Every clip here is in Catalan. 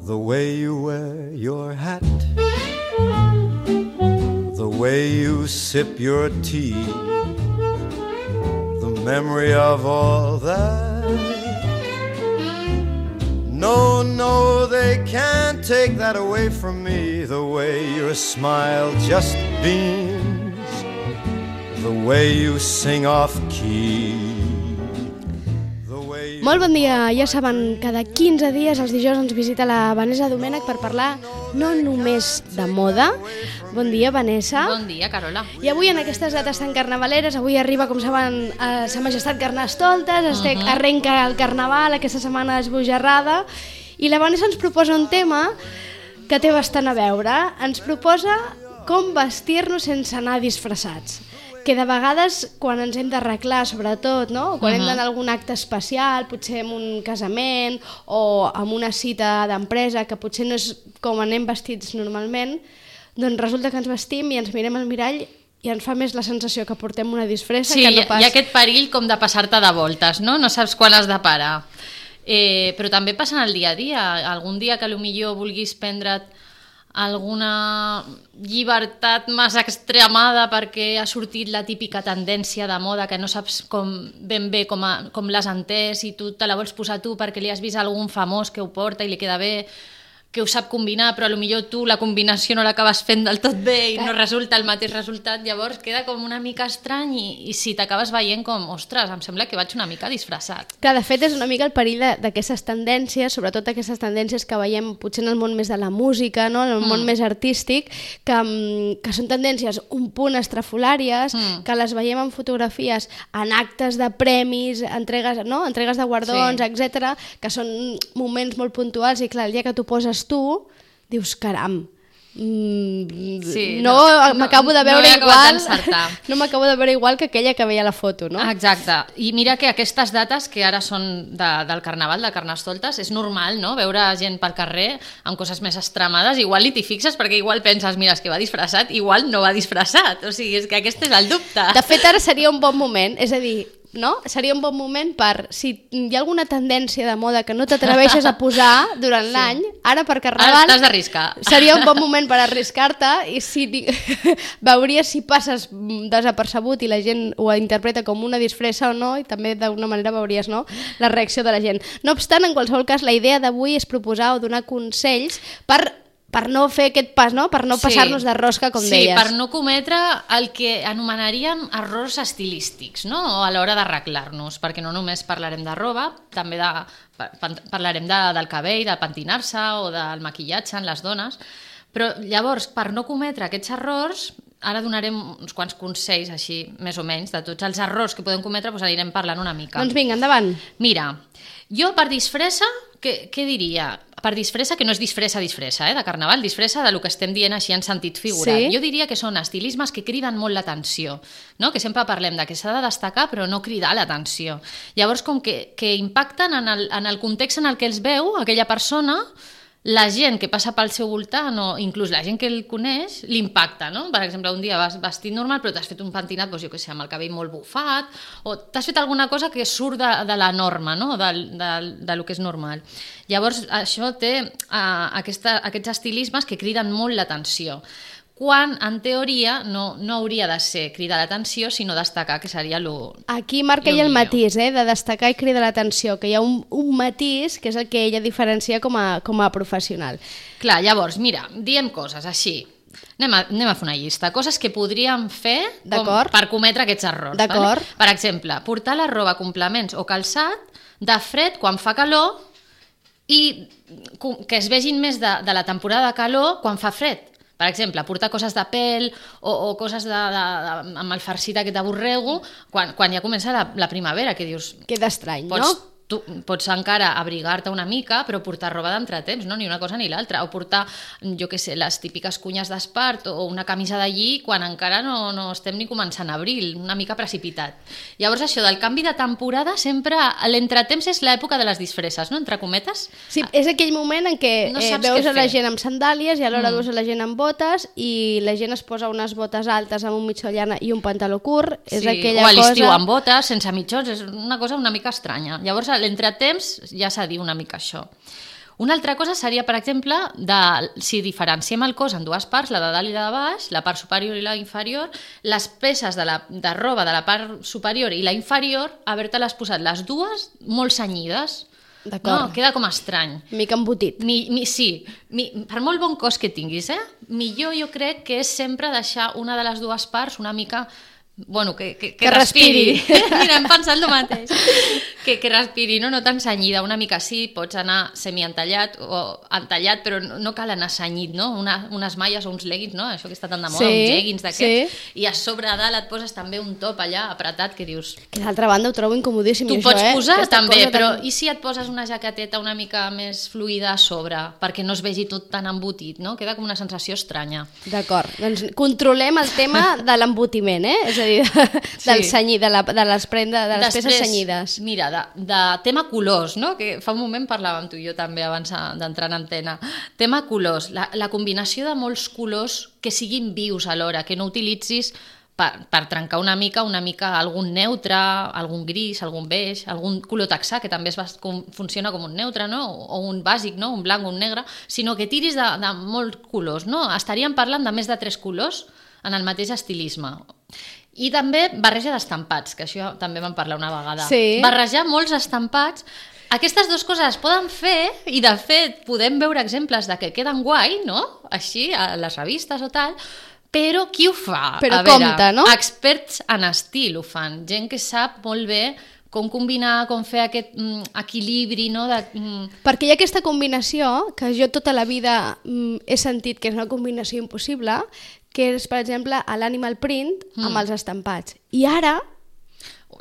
The way you wear your hat, the way you sip your tea, the memory of all that. No, no, they can't take that away from me. The way your smile just beams, the way you sing off key. Molt bon dia, ja saben, cada 15 dies els dijous ens visita la Vanessa Domènech per parlar no només de moda. Bon dia, Vanessa. Bon dia, Carola. I avui en aquestes dates tan carnavaleres, avui arriba, com saben, Sa Majestat Carnestoltes, arrenca el carnaval, aquesta setmana esbojarrada, i la Vanessa ens proposa un tema que té bastant a veure. Ens proposa com vestir-nos sense anar disfressats. Que de vegades, quan ens hem d'arreglar, sobretot, no? Quan hem d'anar a algun acte especial, potser en un casament o en una cita d'empresa, que potser no és com anem vestits normalment, doncs resulta que ens vestim i ens mirem al mirall i ens fa més la sensació que portem una disfressa que no pas... Sí, hi ha aquest perill com de passar-te de voltes, no? No saps quan has de parar. Però també passa en el dia a dia. Algun dia que potser vulguis prendre't alguna llibertat massa extremada perquè ha sortit la típica tendència de moda que no saps ben bé com l'has entès i tu te la vols posar tu perquè li has vist algun famós que ho porta i li queda bé, que ho sap combinar, però potser tu la combinació no l'acabes fent del tot bé i no resulta el mateix resultat, llavors queda com una mica estrany i si t'acabes veient com, ostres, em sembla que vaig una mica disfressat. Que de fet és una mica el perill d'aquestes tendències, sobretot aquestes tendències que veiem potser en el món més de la música, no? En el món més artístic, que són tendències un punt estrafolàries, que les veiem en fotografies, en actes de premis, entregues de guardons, etc, que són moments molt puntuals i clar, el dia que tu poses tu, dius, caram, no m'acabo de veure igual, no m'acabo de veure igual que aquella que veia la foto, no? Exacte, i mira que aquestes dates que ara són del Carnaval, de Carnestoltes, és normal, no?, veure gent pel carrer amb coses més extremades, igual ni t'hi fixes perquè igual penses, mira, és que va disfressat, igual no va disfressat, o sigui, és que aquest és el dubte. De fet, ara seria un bon moment, és a dir, no? Seria un bon moment per, si hi ha alguna tendència de moda que no t'atreveixes a posar durant l'any, ara per Carnaval t'has d'arriscar. Seria un bon moment per arriscar-te i veuries si passes desapercebut i la gent ho interpreta com una disfressa o no, i també d'alguna manera veuries, no?, la reacció de la gent. No obstant, en qualsevol cas, la idea d'avui és proposar o donar consells per no fer aquest pas, no? Per no passar-nos de rosca, com deies. Sí, per no cometre el que anomenaríem errors estilístics, no? O a l'hora d'arreglar-nos, perquè no només parlarem de roba, també parlarem del cabell, de pentinar-se o del maquillatge en les dones, però llavors, per no cometre aquests errors, ara donarem uns quants consells, així, més o menys, de tots els errors que podem cometre, doncs anirem parlant una mica. Doncs vinga, endavant. Mira, jo per disfressa, què diria? Per disfressa, que no és disfressa de Carnaval, disfressa del que estem dient així en sentit figurat. Sí? Jo diria que són estilismes que criden molt l'atenció, no? Que sempre parlem de que s'ha de destacar però no cridar l'atenció. Llavors, com que impacten en el context en el que els veu aquella persona, la gent que passa pel seu voltant o inclús la gent que el coneix l'impacta, no? Per exemple, un dia vas vestit normal però t'has fet un pentinat, doncs jo què sé, amb el cabell molt bufat, o t'has fet alguna cosa que surt de la norma, no?, del que és normal. Llavors això té aquests estilismes que criden molt l'atenció, quan en teoria no hauria de ser cridar l'atenció, sinó destacar, que seria Aquí marca ella el matís, de destacar i cridar l'atenció, que hi ha un matís que és el que ella diferencia com a professional. Clar, llavors, mira, diem coses així. Anem a fer una llista. Coses que podríem fer per cometre aquests errors. D'acord. Vale? Per exemple, portar la roba, complements o calçat de fred quan fa calor i que es vegin més de la temporada de calor quan fa fred. Per exemple, portar coses de pèl o coses amb el farcit aquest de borrego quan ja comença la primavera, que dius... Queda estrany, no? Tu pots encara abrigar-te una mica, però portar roba d'entretemps, no? Ni una cosa ni l'altra. O portar, jo què sé, les típiques cunyes d'espart o una camisa de lli quan encara no estem ni començant abril, una mica precipitat. Llavors això del canvi de temporada, sempre l'entretemps és l'època de les disfresses, no? Entre cometes. Sí, és aquell moment en què veus a la gent amb sandàlies i alhora veus a la gent amb botes i la gent es posa unes botes altes amb un mitjó llana i un pantaló curt. És aquella o a l'estiu cosa... amb botes, sense mitjons, és una cosa una mica estranya. Llavors, l'entretemps ja s'ha dit una mica això. Una altra cosa seria, per exemple, si diferenciem el cos en dues parts, la de dalt i la de baix, la part superior i la inferior, les peces de roba de la part superior i la inferior, haver-te-les posat les dues molt cenyides. D'acord. No, queda com estrany. Mica embotit. Sí, per molt bon cos que tinguis, millor jo crec que és sempre deixar una de les dues parts una mica... Bueno, que respiri. Mira, hem pensat el mateix. Que respiri, no tan cenyida. Una mica sí, pots anar semi-entallat o entallat, però no cal anar cenyit, no? Unes malles o uns leggings, no? Això que està tan de moda, uns jeggings d'aquests. Sí. I a sobre a dalt et poses també un top allà apretat que dius... Que d'altra banda ho trobo incomodíssim. Tu pots posar també, però i si et poses una jaqueteta una mica més fluida a sobre perquè no es vegi tot tan embotit, no? Queda com una sensació estranya. D'acord, doncs controlem el tema de l'embotiment, és a dir, del cenyir, de les peces cenyides. Mira, de tema colors, no? Que fa un moment parlàvem tu i jo també abans d'entrar en antena. Tema colors, la combinació de molts colors que siguin vius alhora, que no utilitzis per trencar una mica algun neutre, algun gris, algun beix, algun color texà, que també funciona com un neutre, no? O un bàsic, no? Un blanc o un negre, sinó que tiris de molts colors, no? Estaríem parlant de més de 3 colors en el mateix estilisme. I també barreja d'estampats, que això també vam parlar una vegada. Sí. Barrejar molts estampats. Aquestes dues coses es poden fer i, de fet, podem veure exemples de que queden guai, no? Així, a les revistes o tal, però qui ho fa? Però compte, no? Experts en estil ho fan. Gent que sap molt bé com combinar, com fer aquest equilibri, no? Perquè hi ha aquesta combinació, que jo tota la vida he sentit que és una combinació impossible, que és, per exemple, l'animal print amb els estampats. I ara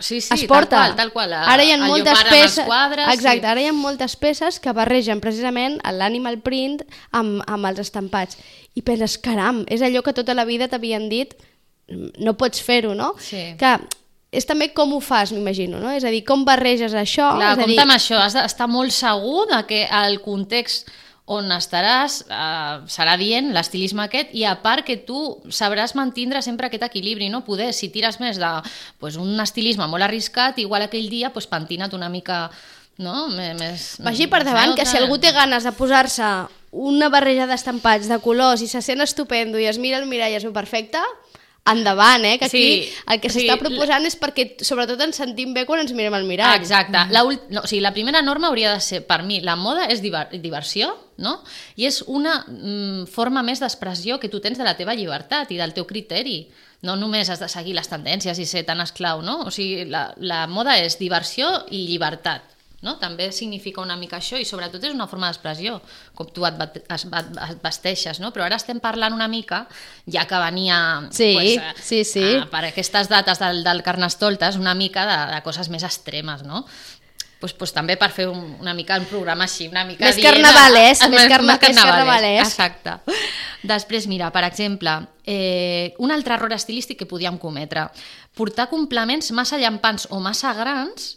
es porta. Tal qual. Ara hi ha moltes peces, quadres, exacte, ara hi ha moltes peces que barregen precisament l'animal print amb els estampats. I penses, caram, és allò que tota la vida t'havien dit, no pots fer-ho, no? Sí. Que és també com ho fas, m'imagino, no? És a dir, com barreges això. Clar, compte amb això, has d'estar molt segur de que el context on estaràs serà dient l'estilisme aquest, i a part que tu sabràs mantindre sempre aquest equilibri, no? Poder, si tires més d'un estilisme molt arriscat, igual aquell dia pentina't una mica, no? Vagi per davant que si algú té ganes de posar-se una barreja d'estampats de colors i se sent estupendo i es mira al mirall i es veu perfecte, endavant, que aquí el que s'està proposant és perquè sobretot ens sentim bé quan ens mirem al mirall. Exacte. La primera norma hauria de ser, per mi, la moda és diversió, no? I és una forma més d'expressió que tu tens de la teva llibertat i del teu criteri. No només has de seguir les tendències i ser tan esclau, no? O sigui, la moda és diversió i llibertat. No? També significa una mica això, i sobretot és una forma d'expressió, com tu et vesteixes, no? Però ara estem parlant una mica, ja que venia per aquestes dates del Carnestoltes, una mica de coses més extremes, no? Pues també per fer una mica un programa així, una mica més carnavalès, més carnavalès. Exacte. Després, mira, per exemple, un altre error estilístic que podíem cometre: portar complements massa llampants o massa grans,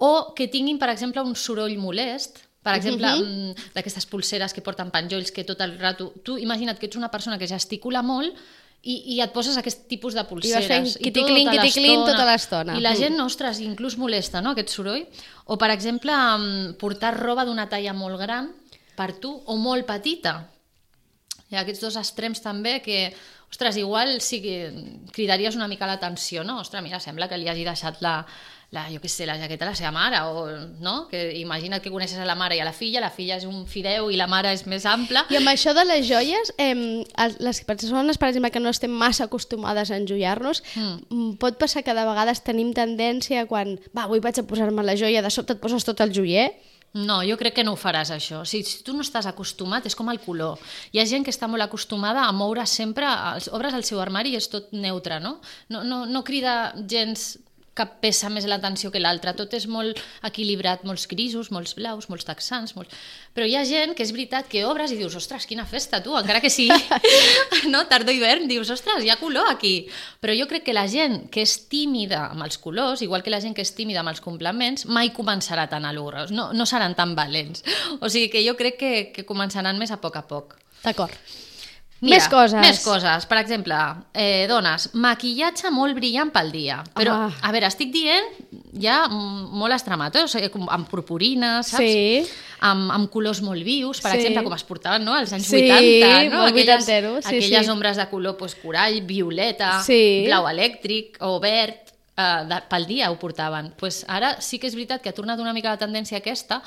o que tinguin, per exemple, un soroll molest, per exemple, d'aquestes pulseres que porten penjolls que tot el rato... Tu imagina't que ets una persona que gesticula molt i et poses aquest tipus de pulseres. I vas fent quiticlin tota l'estona. I la gent, ostres, inclús molesta, no?, aquest soroll. O, per exemple, portar roba d'una talla molt gran per tu o molt petita. Hi ha aquests dos extrems també que, ostres, igual sí que cridaries una mica l'atenció, no? Ostres, mira, sembla que li hagi deixat la jaqueta a la seva mare, o, no? Que imagina't que coneixes a la mare i a la filla és un fideu i la mare és més ampla. I amb això de les joies, les persones, per exemple, que no estem massa acostumades a enjoiar-nos, pot passar que de vegades tenim tendència quan, avui vaig a posar-me la joia, de sobte et poses tot el joier. No, jo crec que no ho faràs, això. Si tu no estàs acostumat, és com el color. Hi ha gent que està molt acostumada a moure sempre, obres el seu armari i és tot neutre, no? No crida gens cap peça més l'atenció que l'altra, tot és molt equilibrat, molts grisos, molts blaus, molts texans, però hi ha gent que és veritat que obres i dius, ostres, quina festa, tu, encara que sigui no, tardor-hivern, dius, ostres, hi ha color aquí, però jo crec que la gent que és tímida amb els colors, igual que la gent que és tímida amb els complements, mai començarà tan a l'hora, no seran tan valents, o sigui que jo crec que començaran més a poc. D'acord. Mira, Més coses. Més coses. Per exemple, dones, maquillatge molt brillant pel dia. Però, a veure, estic dient ja molt extremat, o sigui, amb purpurines, saps? Sí. Amb colors molt vius, per exemple, com es portaven, no?, als anys Sí, 80, no? molt vuitanteros, sí, aquelles sí. ombres de color corall, violeta, Sí. blau elèctric o verd, pel dia ho portaven. Pues ara sí que és veritat que ha tornat una mica la tendència aquesta,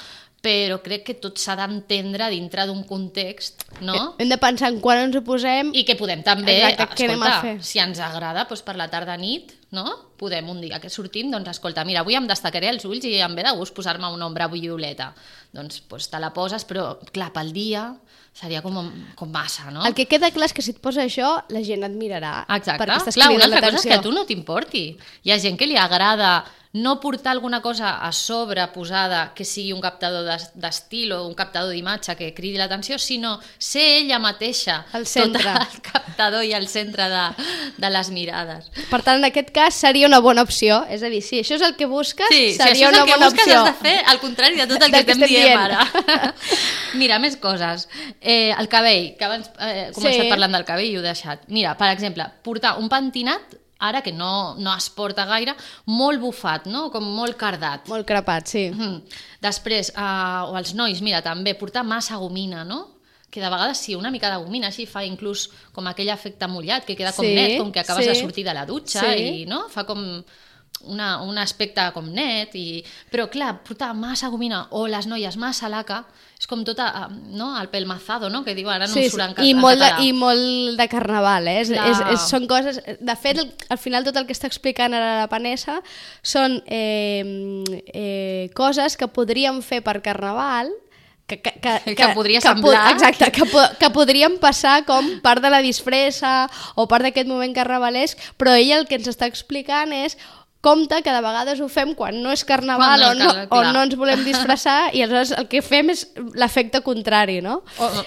però crec que tot s'ha d'entendre dintre d'un context, no? Hem de pensar en quan ens ho posem... I que podem també, Exacte, què anem a fer? si ens agrada, doncs per la tarda-nit, no? Podem un dia que sortim, doncs escolta, mira, avui em destacaré els ulls i em ve de gust posar-me una ombra violeta. Doncs te la poses, però clar, pel dia seria com massa, no? El que queda clar és que si et posa això, la gent et mirarà. Exacte. Perquè estàs Clar, una cridant altra cosa és que a l'atenció. tu no t'importi. Hi ha gent que li agrada no portar alguna cosa a sobre posada que sigui un captador d'estil o un captador d'imatge que cridi l'atenció, sinó ser ella mateixa El centre. tot el captador i el centre de les mirades. Per tant, en aquest cas seria una bona opció. És a dir, si això és el que busques, Sí, si seria això és una el que bona busques, opció. has de fer al contrari de tot el Del que que estem dient dient. ara. Mira, més coses. El cabell, que abans he començat parlant del cabell i ho he deixat. Mira, per exemple, portar un pentinat, ara que no es porta gaire, molt bufat, no? Com molt cardat. Molt crepat, sí. Després, o els nois, mira, també, portar massa gomina, no? Que de vegades sí, una mica de gomina, així fa inclús com aquell efecte mullat, que queda com net, com que acabes de sortir de la dutxa, i no? Fa com un aspecte com net, però clar, portar massa gomina, o les noies massa laca, és com tota, no? El pelmazado, no? Que diu, ara no em surt en català. I molt de carnaval, eh? Clar. Són coses... De fet, al final tot el que està explicant ara la Vanessa són coses que podríem fer per carnaval que podria semblar. Exacte, que podrien passar com part de la disfressa o part d'aquest moment carnavalesc, però ella el que ens està explicant és compte que de vegades ho fem quan no és carnaval o no ens volem disfressar i aleshores el que fem és l'efecte contrari, no?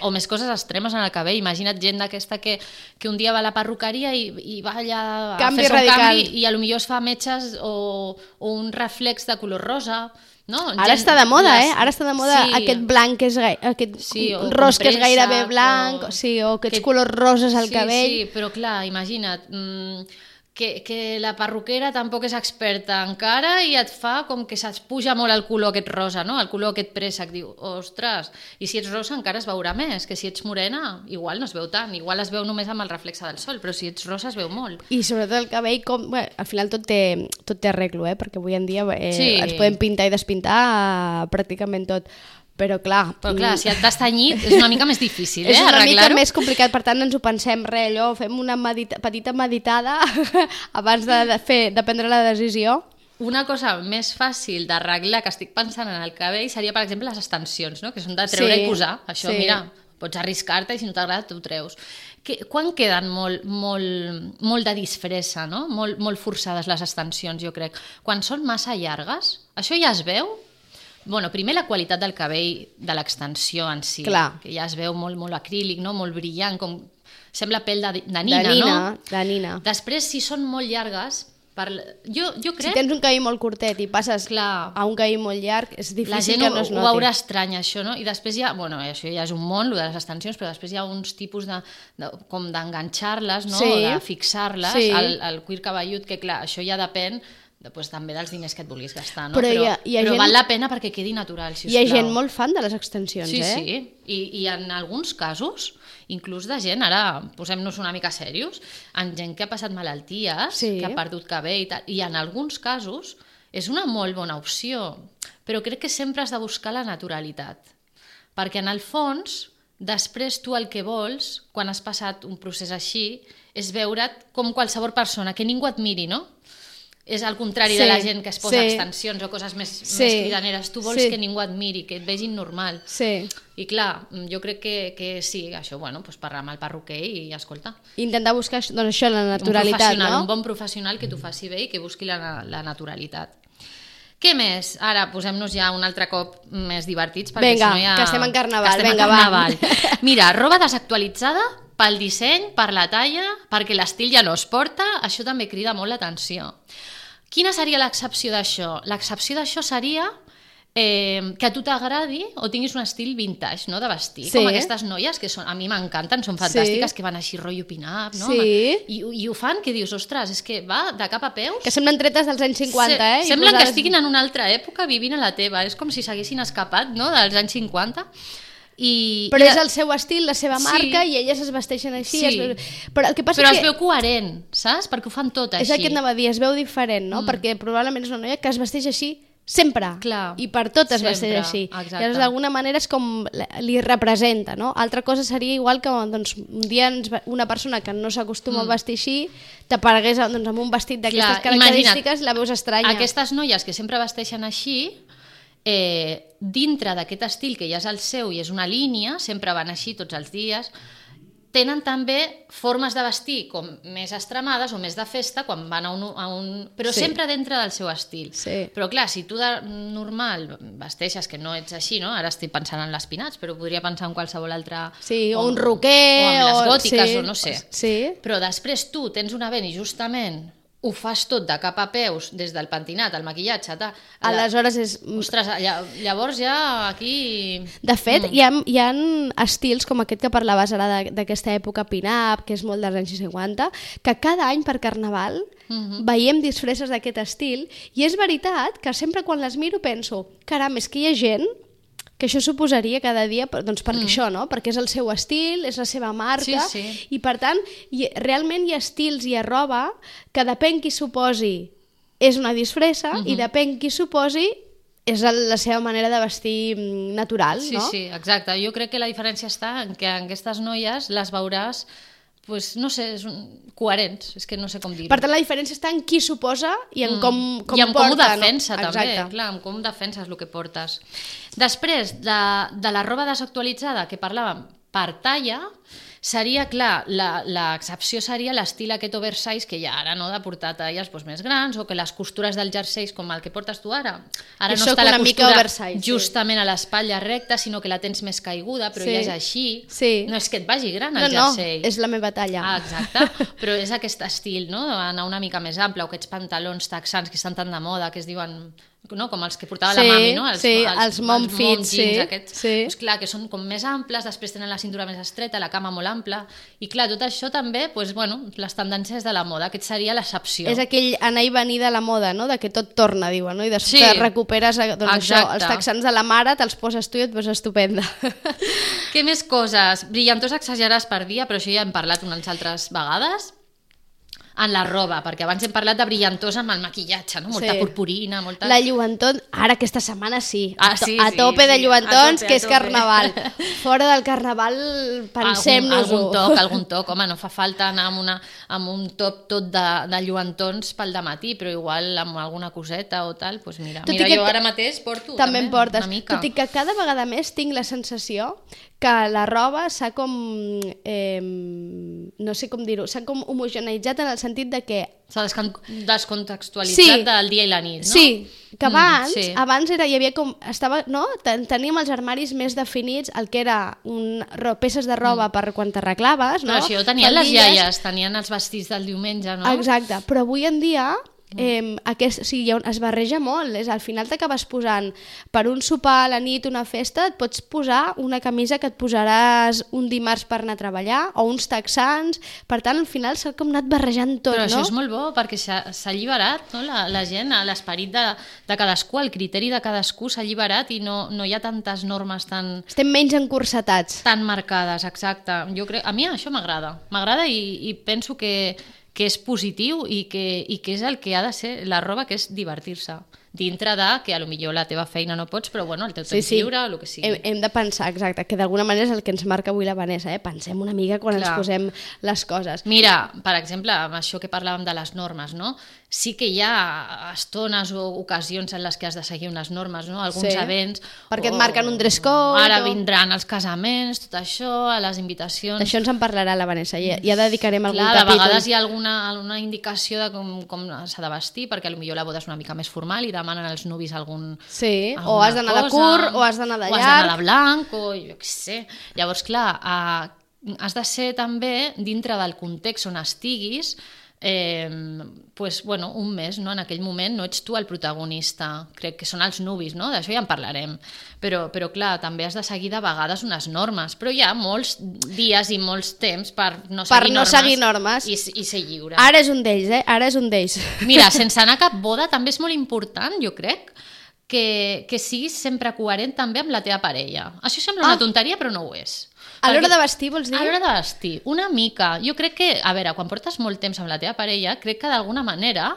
O més coses extremes en el cabell. Imagina't gent d'aquesta que un dia va a la perruqueria i va allà a fer-se un canvi i potser es fa metges o un reflex de color rosa. No? Ara està de moda, Ara està de moda aquest blanc, aquest ros que és gairebé blanc, o aquests colors roses al cabell. Sí, però clar, imagina't, que la perruquera tampoc és experta encara i et fa com que se't puja molt el color aquest rosa, no? El color aquest préssec, diu, ostres, i si ets rosa encara es veurà més, que si ets morena igual no es veu tant, igual es veu només amb el reflexe del sol, però si ets rosa es veu molt. I sobretot el cabell, al final tot té arreglo, perquè avui en dia ens podem pintar i despintar pràcticament tot. Però clar, si et t'has tenyit és una mica més difícil, és una arreglar-ho. mica més complicat, per tant ens ho pensem, allò, fem una petita meditada abans de prendre la decisió. Una cosa més fàcil d'arreglar que estic pensant en el cabell seria, per exemple, les extensions, no? Que són de treure i posar. Això, mira, pots arriscar-te i si no t'agrada t'ho treus. Quan queden molt de disfressa, no? Molt forçades les extensions, jo crec. Quan són massa llargues, això ja es veu. Bueno, primer la qualitat del cabell de l'extensió en si, que ja es veu molt acrílic, no? Molt brillant, com sembla pell de nina, no? De nina. Després, si són molt llargues, jo crec... Si tens un cabell molt curtet i passes a un cabell molt llarg, és difícil que no es noti. La gent ho veurà estrany, això, no? I després això ja és un món, lo de les extensions, però després hi ha uns tipus com d'enganxar-les, no? O de fixar-les al cuir cabellut, que clar, això ja depèn també dels diners que et vulguis gastar, no? Però val la pena perquè quedi natural, sisplau. Hi ha gent molt fan de les extensions, Sí, i en alguns casos, inclús de gent, ara posem-nos una mica serios, en gent que ha passat malalties, que ha perdut cabell i tal, i en alguns casos és una molt bona opció, però crec que sempre has de buscar la naturalitat, perquè en el fons, després tu el que vols, quan has passat un procés així, és veure't com qualsevol persona, que ningú et miri, no? És al contrari de la gent que es posa extensions o coses més cridaneres. Tu vols que ningú et miri, que et vegin normal. I clar, jo crec que sí, això, parlar amb el perruquer i escolta. Intentar buscar això, la naturalitat, no? Un bon professional que t'ho faci bé i que busqui la naturalitat. Què més? Ara posem-nos ja un altre cop més divertits. Vinga, que estem en carnaval. Va. Mira, roba desactualitzada pel disseny, per la talla, perquè l'estil ja no es porta, això també crida molt l'atenció. Quina seria l'excepció d'això? L'excepció d'això seria que a tu t'agradi o tinguis un estil vintage, no?, de vestir. Sí. Com aquestes noies que a mi m'encanten, són fantàstiques, que van així rotllo pin-up, no? Sí. I ho fan que dius, ostres, és que va de cap a peus. Que semblen tretes dels anys 50, eh? Semblen que estiguin en una altra època vivint a la teva. És com si s'haguessin escapat, no?, dels anys 50. Però és el seu estil, la seva marca, i elles es vesteixen així. Però el que passa es veu coherent, saps? Perquè ho fan tot així. És el que anava a dir, es veu diferent, no? Perquè probablement és una noia que es vesteix així sempre. Clar, i per tot es vesteix així. Exacte. Llavors, d'alguna manera és com li representa, no? Altra cosa seria igual que doncs, un dia una persona que no s'acostuma a vestir així t'aparegués doncs, amb un vestit d'aquestes característiques i la veus estranya. Aquestes noies que sempre vesteixen així, dintre d'aquest estil que ja és el seu i és una línia, sempre van així tots els dies, tenen també formes de vestir com més extremades o més de festa quan van a un... però sempre dintre del seu estil. Però clar, si tu de normal vesteixes que no ets així, no? Ara estic pensant en les pinats, però podria pensar en qualsevol altre... Sí, o un roquer... O amb les gòtiques, o no sé. Sí. Però després tu tens un event i justament ho fas tot de cap a peus, des del pentinat, el maquillatge... Aleshores és... Ostres, llavors ja aquí... De fet, hi ha estils com aquest que parlaves ara d'aquesta època pin-up, que és molt dels anys 50, que cada any per Carnaval veiem disfresses d'aquest estil, i és veritat que sempre quan les miro penso, caram, és que hi ha gent que això suposaria cada dia, doncs perquè això, no? Perquè és el seu estil, és la seva marca, i per tant, realment hi ha estils, hi ha roba, que depèn qui s'ho posi és una disfressa, i depèn qui s'ho posi és la seva manera de vestir natural, no? Sí, exacte. Jo crec que la diferència està en que aquestes noies les veuràs pues, no sé, coherents, és que no sé com dir-ho. Per tant, la diferència està en qui s'ho posa i en com porta. I en com ho defensa, no? també, clar, en com defenses el que portes. Després, de la roba desactualitzada que parlàvem per talla, seria, clar, l'excepció seria l'estil aquest oversize que hi ha ara, no?, de portar talles més grans, o que les costures dels jerseis, com el que portes tu ara no està la costura justament a l'espatlla recta, sinó que la tens més caiguda, però ja és així. No és que et vagi gran el jersei. No, és la meva talla. Exacte, però és aquest estil, no?, d'anar una mica més ample, o aquests pantalons texans que estan tan de moda, que es diuen... no? Com els que portava la mami, no? Els mom fits, Pues clar, que són com més amples, després tenen la cintura més estreta, la cama molt ampla, i clar, tot això també, pues, bueno, les tendències de la moda, aquest seria l'excepció. És aquell anar i venir de la moda, no? De que tot torna, diuen, no? I després recuperes doncs, això, els texans de la mare, te'ls poses tu i et poses estupenda. Què més coses? Brillantors exagerats per dia, però això ja hem parlat unes altres vegades. En la roba, perquè abans hem parlat de brillantors amb el maquillatge, no? Molta purpurina, molta... La lluentor, ara aquesta setmana a tope de lluentons, que és Carnaval. Fora del Carnaval, pensem-nos-ho. Algun toc, home, no fa falta anar amb un top tot de lluentons pel dematí, però igual amb alguna coseta o tal, doncs mira, jo ara mateix porto també en portes, una mica. Tot i que cada vegada més tinc la sensació que la roba s'ha com, no sé com dir-ho, s'ha com homogeneitzat en el sentit de que... S'ha descontextualitzat del dia i la nit, no? Sí, que abans hi havia com... Teníem els armaris més definits, el que era peces de roba per quan t'arreglaves, no? Però això ho tenien les iaies, tenien els vestits del diumenge, no? Exacte, però avui en dia... es barreja molt, al final t'acabes posant per un sopar a la nit, una festa, et pots posar una camisa que et posaràs un dimarts per anar a treballar o uns texans, per tant al final s'ha com anat barrejant tot, però no? Això és molt bo perquè s'ha alliberat, no? La gent, l'esperit de cadascú, el criteri de cadascú s'ha alliberat i no hi ha tantes normes tan... Estem menys encursetats. Tan marcades, exacte. Jo crec, a mi això m'agrada i penso que és positiu i que és el que ha de ser la roba, que és divertir-se. Dintre de que potser la teva feina no pots, però bueno, el teu temps lliure o el que sigui. Hem de pensar, exacte, que d'alguna manera és el que ens marca avui la Vanessa, Pensem una mica quan ens posem les coses. Mira, per exemple, amb això que parlàvem de les normes, no? Sí que hi ha estones o ocasions en les que has de seguir unes normes, no? Alguns events... Perquè et marquen un dress code... Ara vindran els casaments, tot això, a les invitacions... D'això ens en parlarà la Vanessa, ja dedicarem algun capítol. De vegades hi ha alguna indicació de com s'ha de vestir, perquè potser la boda és una mica més formal i demanen als nuvis algun... Sí, o has d'anar de curt, o has d'anar de llarg... O has d'anar de blanc, o jo què sé... Llavors, clar, has de ser també, dintre del context on estiguis, pues, bueno, un mes, no? En aquell moment no ets tu el protagonista, crec que són els nuvis, no? D'això ja en parlarem, però clar, també has de seguir de vegades unes normes, però hi ha molts dies i molts temps per no seguir normes i ser lliure. Ara és un d'ells, ara és un d'ells. Mira, sense anar a cap boda també és molt important, jo crec, que siguis sempre coherent també amb la teva parella. Això sembla una tonteria, però no ho és. A l'hora de vestir, vols dir? A l'hora de vestir, una mica. Jo crec que, a veure, quan portes molt temps amb la teva parella, crec que d'alguna manera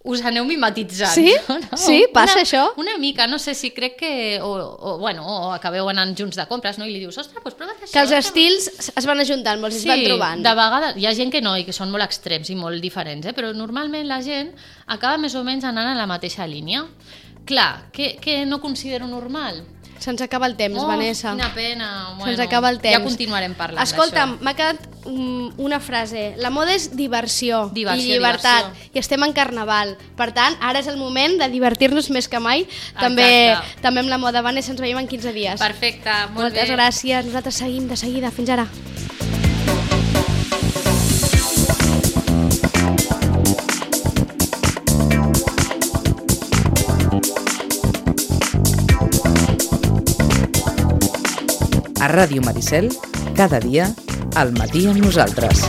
us aneu mimetitzant. Sí? No? Sí? Passa això? Una mica, no sé si crec que... O acabeu anant junts de compres, no? I li dius, ostres, doncs prova't això. Que els estils es van ajuntant, molts es van trobant. Sí, de vegades hi ha gent que no, i que són molt extrems i molt diferents, però normalment la gent acaba més o menys anant a la mateixa línia. Clar, què no considero normal? Se'ns acaba el temps, Vanessa. Quina pena. Bueno, se'ns acaba el temps. Ja continuarem parlant d'això. Escolta'm, m'ha quedat una frase. La moda és diversió i llibertat. I estem en carnaval. Per tant, ara és el moment de divertir-nos més que mai. També amb la moda. Vanessa, ens veiem en 15 dies. Perfecte, molt bé. Moltes gràcies. Nosaltres seguim de seguida. Fins ara. A Ràdio Maricel, cada dia, al matí amb nosaltres.